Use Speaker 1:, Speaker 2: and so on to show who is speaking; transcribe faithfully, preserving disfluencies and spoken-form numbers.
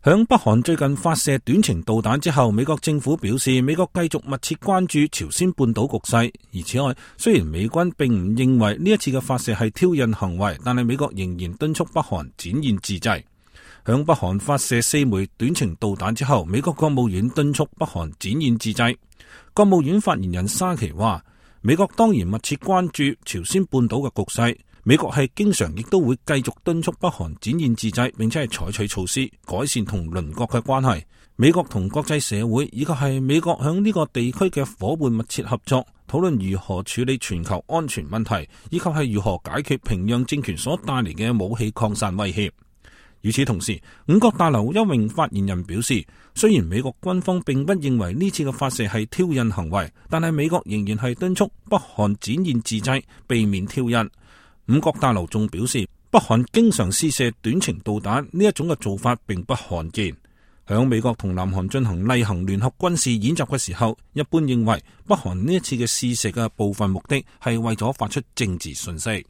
Speaker 1: 響北韓最近發射短程導彈之後，美國政府表示，美國繼續密切關注朝鮮半島局勢。而此外，雖然美軍並唔認為呢一次嘅發射係挑釁行為，但係美國仍然敦促北韓展現自制。響北韓發射四枚短程導彈之後，美國國務院敦促北韓展現自制。國務院發言人沙奇話，美國當然密切關注朝鮮半島嘅局勢。美國係經常亦都會繼續敦促北韓展現自制，並且係採取措施改善同鄰國嘅關係。美國同國際社會以及係美國響呢個地區嘅夥伴密切合作，討論如何處理全球安全問題，以及係如何解決平壤政權所帶嚟嘅武器擴散威脅。與此同時，五角大樓一名發言人表示，雖然美國軍方並不認為呢次嘅發射係挑釁行為，但係美國仍然係敦促北韓展現自制，避免挑釁。五角大樓仲表示，北韓經常試射短程導彈呢一種嘅做法並不罕見。響美國同南韓進行例行聯合軍事演習嘅時候，一般認為北韓呢一次嘅試射嘅部分目的係為咗發出政治訊息。